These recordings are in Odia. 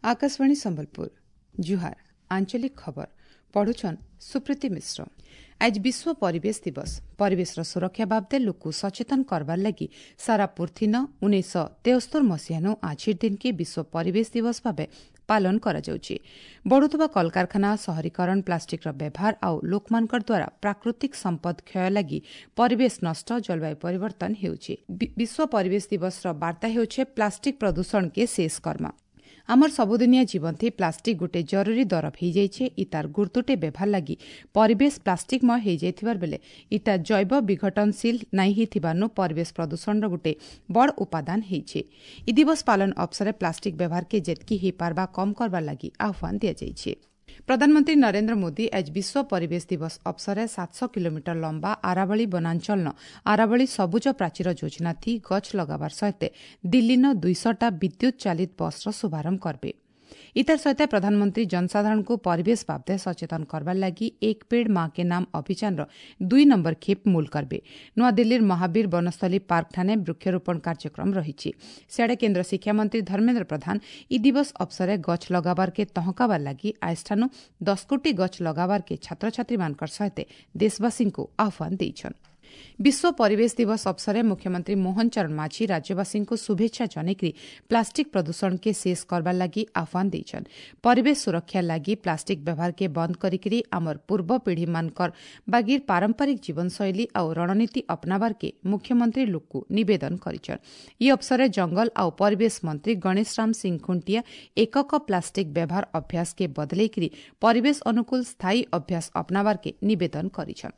ଆକାଶବାଣୀ ସମ୍ବଲପୁର, ଜୁହାର। ଆଞ୍ଚଳିକ ଖବର ପଢୁଛନ୍ ସୁପ୍ରୀତି ମିଶ୍ର। ଆଜ ବିଶ୍ୱ ପରିବେଶ ଦିବସ। ପରିବେଶର ସୁରକ୍ଷା ବାବଦେ ଲୋକକୁ ସଚେତନ କରବାର ଲାଗି ସାରା ପୃଥିନ 1973 ମସିହାନୁ ଆଜିର ଦିନକେ ବିଶ୍ୱ ପରିବେଶ ଦିବସ ଭାବେ ପାଳନ କରାଯାଉଛି। ବଢ଼ୁଥିବା କଳକାରଖାନା, ସହରୀକରଣ, ପ୍ଲାଷ୍ଟିକ୍ର ବ୍ୟବହାର ଆଉ ଲୋକମାନଙ୍କର ଦ୍ୱାରା ପ୍ରାକୃତିକ ସମ୍ପଦ କ୍ଷୟ ଲାଗି ପରିବେଶ ନଷ୍ଟ, ଜଳବାୟୁ ପରିବର୍ତ୍ତନ ହେଉଛି। ବିଶ୍ୱ ପରିବେଶ ଦିବସର ବାର୍ତ୍ତା ହେଉଛି ପ୍ଲାଷ୍ଟିକ୍ ପ୍ରଦୂଷଣକେ ଶେଷ କର୍ମା। ଆମର ସବୁଦିନିଆ ଜୀବନଥି ପ୍ଲାଷ୍ଟିକ୍ ଗୋଟେ ଜରୁରୀ ଦରବ ହେଇଯାଇଛେ। ଇ ତାର ଗୁରୁତୁଟେ ବ୍ୟବହାର ଲାଗି ପରିବେଶ ପ୍ଲାଷ୍ଟିକମୟ ହେଇଯାଇଥିବାର ବେଲେ ଇଟା ଜୈବ ବିଘଟନଶୀଳ ନାଇଁ ହେଇଥିବାନୁ ପରିବେଶ ପ୍ରଦୂଷଣର ଗୋଟେ ବଡ଼ ଉପାଦାନ ହେଇଛେ। ଇ ଦିବସ ପାଳନ ଅବସରେ ପ୍ଲାଷ୍ଟିକ୍ ବ୍ୟବହାରକେ ଯେତ୍କି ହେଇପାରବା କମ୍ କରବାର ଲାଗି ଆହ୍ୱାନ ଦିଆଯାଇଛି। ପ୍ରଧାନମନ୍ତ୍ରୀ ନରେନ୍ଦ୍ର ମୋଦି ଆଜ ବିଶ୍ୱ ପରିବେଶ ଦିବସ ଅବସରେ 700 କିଲୋମିଟର ଲମ୍ବା ଆରାବଳୀ ବନାଞ୍ଚଳନ ଆରାବଳୀ ସବୁଜ ପ୍ରାଚୀର ଯୋଜନା ଥି ଗଛ ଲଗାବାର ସହିତ ଦିଲ୍ଲୀନ 200ଟା ବିଦ୍ୟୁତ୍ ଚାଲିତ ବସ୍ର ଶୁଭାରମ୍ଭ କରିବେ। ଇତାର ସହିତ ପ୍ରଧାନମନ୍ତ୍ରୀ ଜନସାଧାରଣଙ୍କୁ ପରିବେଶ ବାବଦେ ସଚେତନ କରବାର ଲାଗି ଏକ ପେଡ଼ ମା କେ ନାମ ଅଭିଯାନର 2 ନମ୍ବର ଖେପ୍ ମୂଲ କରିବେ। ନୂଆଦିଲ୍ଲୀର ମହାବୀର ବନସ୍ଥଳୀ ପାର୍କଠାନେ ବୃକ୍ଷରୋପଣ କାର୍ଯ୍ୟକ୍ରମ ରହିଛି। ସିଆଡ଼େ କେନ୍ଦ୍ର ଶିକ୍ଷାମନ୍ତ୍ରୀ ଧର୍ମେନ୍ଦ୍ର ପ୍ରଧାନ ଇ ଦିବସ ଅବସରେ ଗଛ ଲଗାବାରକେ ତହକାବାର ଲାଗି ଆଇଷ୍ଠାନୁ 10 କୋଟି ଗଛ ଲଗାବାରକେ ଛାତ୍ରଛାତ୍ରୀମାନଙ୍କର ସହିତ ଦେଶବାସୀଙ୍କୁ ଆହ୍ୱାନ ଦେଇଛନ୍। ବିଶ୍ୱ ପରିବେଶ ଦିବସ ଅବସରେ ମୁଖ୍ୟମନ୍ତ୍ରୀ ମୋହନ ଚରଣ ମାଝୀ ରାଜ୍ୟବାସୀଙ୍କୁ ଶୁଭେଚ୍ଛା ଜଣାଇକରି ପ୍ଲାଷ୍ଟିକ୍ ପ୍ରଦୂଷଣକେ ଶେଷ କରବାର ଲାଗି ଆହ୍ୱାନ ଦେଇଛନ୍। ପରିବେଶ ସୁରକ୍ଷା ଲାଗି ପ୍ଲାଷ୍ଟିକ୍ ବ୍ୟବହାରକେ ବନ୍ଦ କରିକିରି ଆମର ପୂର୍ବ ପିଢ଼ିମାନଙ୍କର ବାଗିର ପାରମ୍ପରିକ ଜୀବନଶୈଳୀ ଆଉ ରଣନୀତି ଅପନାବାରକେ ମୁଖ୍ୟମନ୍ତ୍ରୀ ଲୋକକୁ ନିବେଦନ କରିଛନ୍। ଇ ଅବସରେ ଜଙ୍ଗଲ ଆଉ ପରିବେଶ ମନ୍ତ୍ରୀ ଗଣେଶ ରାମ ସିଂ ଖୁଣ୍ଟିଆ ଏକକ ପ୍ଲାଷ୍ଟିକ୍ ବ୍ୟବହାର ଅଭ୍ୟାସକେ ବଦଲେଇକିରି ପରିବେଶ ଅନୁକୂଳ ସ୍ଥାୟୀ ଅଭ୍ୟାସ ଅପନାବାରକେ ନିବେଦନ କରିଛନ୍।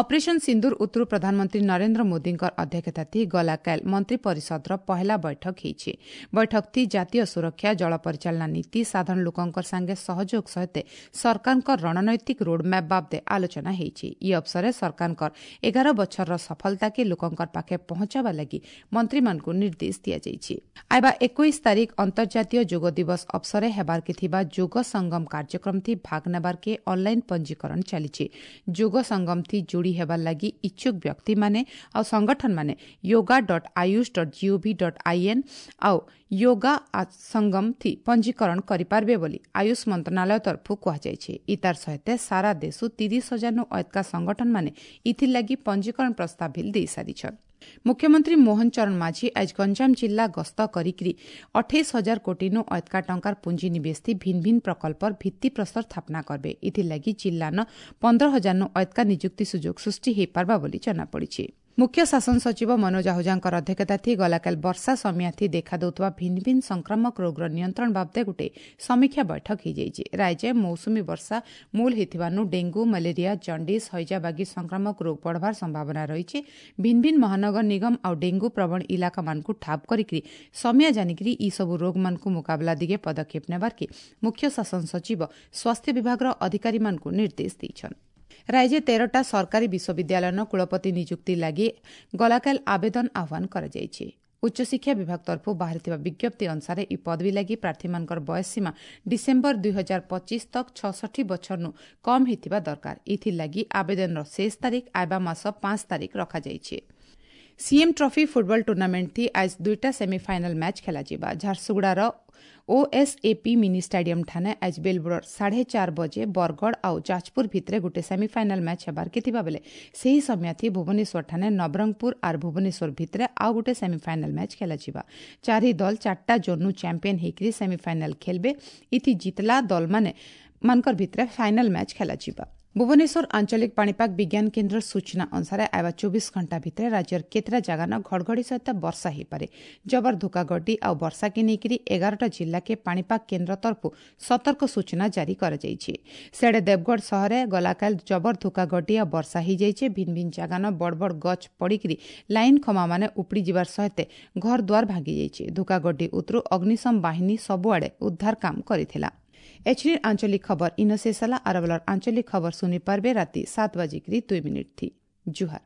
ଅପରେସନ ସିନ୍ଦୁର ଉତ୍ତରୁ ପ୍ରଧାନମନ୍ତ୍ରୀ ନରେନ୍ଦ୍ର ମୋଦିଙ୍କର ଅଧ୍ୟକ୍ଷତା ଥି ଗଲାକାଲ ମନ୍ତ୍ରୀ ପରିଷଦର ପହେଲା ବୈଠକ ହେଇଛି। ବୈଠକ ଥି ଜାତୀୟ ସୁରକ୍ଷା, ଜଳ ପରିଚାଳନା ନୀତି, ସାଧାରଣ ଲୋକଙ୍କର ସାଙ୍ଗେ ସହଯୋଗ ସହିତ ସରକାରଙ୍କ ରଣନୈତିକ ରୋଡମ୍ୟାପ୍ ବାବଦେ ଆଲୋଚନା ହେଇଛି। ଇ ଅବସରେ ସରକାରଙ୍କର 11 ବଛରର ସଫଳତାକେ ଲୋକଙ୍କର ପାଖେ ପହଞ୍ଚାବା ଲାଗି ମନ୍ତ୍ରୀମାନଙ୍କୁ ନିର୍ଦ୍ଦେଶ ଦିଆଯାଇଛି। ଆଇବା 21 ତାରିଖ ଅନ୍ତର୍ଜାତୀୟ ଯୋଗ ଦିବସ ଅବସରେ ହେବାରକେ ଥିବା ଯୋଗ ସଙ୍ଗମ କାର୍ଯ୍ୟକ୍ରମ ଥି ଭାଗ ନେବାରକେ ଅନଲାଇନ ପଞ୍ଜୀକରଣ ଚାଲିଛି। ଯୋଗ ସଙ୍ଗମ ଥି ଯୋଡ଼ି ହେବାର ଲାଗି ଇଚ୍ଛୁକ ବ୍ୟକ୍ତିମାନେ ଆଉ ସଂଗଠନମାନେ yoga.ayush.gov.in ଆଉ ୟୋଗା ସଙ୍ଗମ ଥି ପଞ୍ଜୀକରଣ କରିପାରିବେ ବୋଲି ଆୟୁଷ ମନ୍ତ୍ରଣାଳୟ ତରଫରୁ କୁହାଯାଇଛି। ଇତାର ସହିତ ସାରା ଦେଶୁ 30,000 ଅୟତ୍କା ସଂଗଠନମାନେ ଇଥିର୍ଲାଗି ପଞ୍ଜୀକରଣ ପ୍ରସ୍ତାବ ବିଲ୍ ଦେଇସାରିଛନ୍। ମୁଖ୍ୟମନ୍ତ୍ରୀ ମୋହନ ଚରଣ ମାଝୀ ଆଜ ଗଞ୍ଜାମ ଜିଲ୍ଲା ଗସ୍ତ କରିକିରି 28,000 କୋଟିନୁ ଅୟତ୍କା ଟଙ୍କାର ପୁଞ୍ଜି ନିବେଶ ଥି ଭିନ୍ନ ଭିନ୍ନ ପ୍ରକଳ୍ପର ଭିତ୍ତିପ୍ରସ୍ତର ସ୍ଥାପନା କରିବେ। ଇଥିର୍ଲାଗି ଜିଲ୍ଲାନ 15,000 ଅୟତ୍କା ନିଯୁକ୍ତି ସୁଯୋଗ ସୃଷ୍ଟି ହୋଇପାରବା ବୋଲି ଜଣାପଡ଼ିଛି। ମୁଖ୍ୟ ଶାସନ ସଚିବ ମନୋଜ ଆହୁଜାଙ୍କର ଅଧ୍ୟକ୍ଷତା ଥି ଗଲାକାଲି ବର୍ଷା ସମିଆଥି ଦେଖାଦେଉଥିବା ଭିନ୍ନ ଭିନ୍ନ ସଂକ୍ରାମକ ରୋଗର ନିୟନ୍ତ୍ରଣ ବାବଦେ ଗୋଟେ ସମୀକ୍ଷା ବୈଠକ ହୋଇଯାଇଛି। ରାଜ୍ୟ ମୌସୁମୀ ବର୍ଷା ମୂଳ ହୋଇଥିବାରୁ ଡେଙ୍ଗୁ, ମ୍ୟାଲେରିଆ, ଜଣ୍ଡିସ୍, ହଇଜା ବାଗି ସଂକ୍ରାମକ ରୋଗ ବଢ଼ବାର ସମ୍ଭାବନା ରହିଛି। ଭିନ୍ନ ଭିନ୍ନ ମହାନଗର ନିଗମ ଆଉ ଡେଙ୍ଗୁ ପ୍ରବଣ ଇଲାକାମାନଙ୍କୁ ଠାବ କରିକି ସମିଆ ଜାନିକିରି ଇ ସବୁ ରୋଗମାନଙ୍କୁ ମୁକାବିଲା ଦିଗେ ପଦକ୍ଷେପ ନେବାର୍କେ ମୁଖ୍ୟ ଶାସନ ସଚିବ ସ୍ୱାସ୍ଥ୍ୟ ବିଭାଗର ଅଧିକାରୀମାନଙ୍କୁ ନିର୍ଦ୍ଦେଶ ଦେଇଛନ୍। ରାଜ୍ୟ 13ଟା ସରକାରୀ ବିଶ୍ୱବିଦ୍ୟାଳୟର କୁଳପତି ନିଯୁକ୍ତି ଲାଗି ଗଲାକାଲ ଆବେଦନ ଆହ୍ୱାନ କରାଯାଇଛି। ଉଚ୍ଚଶିକ୍ଷା ବିଭାଗ ତରଫରୁ ବାହାରିଥିବା ବିଜ୍ଞପ୍ତି ଅନୁସାରେ ଇ ପଦବୀ ଲାଗି ପ୍ରାର୍ଥୀମାନଙ୍କର ବୟସ ସୀମା ଡିସେମ୍ବର 2025 ତକ୍ 66 ବଛରନୁ କମ୍ ହେଇଥିବା ଦରକାର। ଏଥିଲାଗି ଆବେଦନର ଶେଷ ତାରିଖ ଆଇବା ମାସ 5 ତାରିଖ ରଖାଯାଇଛି। ସିଏମ୍ ଟ୍ରଫି ଫୁଟବଲ ଟୁର୍ଣ୍ଣାମେଣ୍ଟ ଥି ଆଜ 2ଟା ସେମିଫାଇନାଲ ମ୍ୟାଚ୍ ଖେଳାଯିବା। ଝାରସୁଗୁଡ଼ାର ଓଏସ୍ଏପି ମିନି ଷ୍ଟାଡିୟମ ଠାନେ ଆଜ ବେଲବୁଡ଼ର 4:30 ବଜେ ବରଗଡ଼ ଆଉ ଯାଜପୁର ଭିତରେ ଗୋଟେ ସେମିଫାଇନାଲ ମ୍ୟାଚ୍ ହେବାରକେ ଥିବା ବେଲେ ସେହି ସମୟଥି ଭୁବନେଶ୍ୱର ଠାନେ ନବରଙ୍ଗପୁର ଆର୍ ଭୁବନେଶ୍ୱର ଭିତରେ ଆଉ ଗୋଟେ ସେମିଫାଇନାଲ ମ୍ୟାଚ୍ ଖେଳାଯିବା। 4 ଦଲ 4ଟା ଜୋନ୍ନୁ ଚାମ୍ପିୟନ ହେଇକରି ସେମିଫାଇନାଲ ଖେଲବେ। ଇଥି ଜିତଲା ଦଲମାନେ ମାନଙ୍କର ଭିତରେ ଫାଇନାଲ ମ୍ୟାଚ୍ ଖେଳାଯିବା। ଭୁବନେଶ୍ୱର ଆଞ୍ଚଳିକ ପାଣିପାଗ ବିଜ୍ଞାନ କେନ୍ଦ୍ର ସୂଚନା ଅନୁସାରେ ଆଇବା 24 ଘଣ୍ଟା ଭିତରେ ରାଜ୍ୟର କେତେଟା ଜାଗାନ ଘଡ଼ଘଡ଼ି ସହିତ ବର୍ଷା ହୋଇପାରେ। ଜବର ଧୋକାଗଡ଼ି ଆଉ ବର୍ଷାକେ ନେଇକରି 11ଟା ଜିଲ୍ଲାକେ ପାଣିପାଗ କେନ୍ଦ୍ର ତରଫରୁ ସତର୍କ ସୂଚନା ଜାରି କରାଯାଇଛି। ସିଆଡ଼େ ଦେବଗଡ଼ ସହରରେ ଗଲାକାଲ ଜବର ଧୋକାଗଡ଼ି ଆଉ ବର୍ଷା ହୋଇଯାଇଛି। ଭିନ୍ନ ଭିନ୍ନ ଜାଗାନ ବଡ଼ ବଡ଼ ଗଛ ପଡ଼ିକିରି ଲାଇନ୍ ଖମାମାନେ ଉପଡ଼ି ଯିବାର ସହିତ ଘର ଦ୍ୱାର ଭାଙ୍ଗିଯାଇଛି। ଧୋକାଗଡ଼ି ଉତରୁ ଅଗ୍ନିଶମ ବାହିନୀ ସବୁଆଡ଼େ ଉଦ୍ଧାର କାମ କରିଥିଲା। ଏଚନିର ଆଞ୍ଚଳିକ ଖବର ଇନ ଶେଷ ହେଲା। ଆରବଲର ଆଞ୍ଚଳିକ ଖବର ଶୁଣି ପାରବେ ରାତି 7:02 थी। ଜୁହାର।